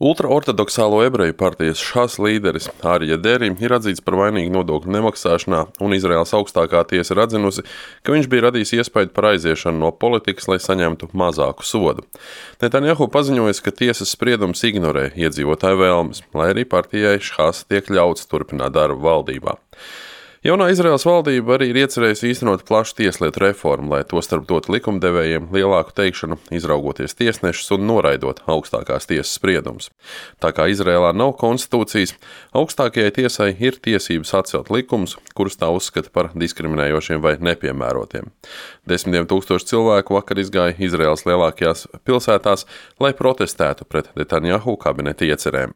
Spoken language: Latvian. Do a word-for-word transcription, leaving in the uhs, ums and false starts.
Ultraortodoksālo ebreju partijas Šas līderis Arija Deri ir atzīts par vainīgu nodokļu nemaksāšanā, un Izraēlas augstākā tiesa ir atzinusi, ka viņš bija radījis iespaidu par aiziešanu no politikas, lai saņemtu mazāku sodu. Netanjahu paziņojis, ka tiesas spriedums ignorē iedzīvotāju vēlmes, lai arī partijai Šas tiek ļauts turpināt darbu valdībā. Jaunā Izraēlas valdība arī ir iecerējusi īstenot plašu tieslietu reformu, lai tostarp dotu likumdevējiem lielāku teikšanu, izraugoties tiesnešus un noraidot augstākās tiesas spriedumus. Tā kā Izraēlā nav konstitūcijas, augstākajai tiesai ir tiesības atcelt likumus, kurus tā uzskata par diskriminējošiem vai nepiemērotiem. Desmitiem tūkstoši cilvēku vakar izgāja Izraēlas lielākajās pilsētās, lai protestētu pret Netanjahu kabineta iecerēm.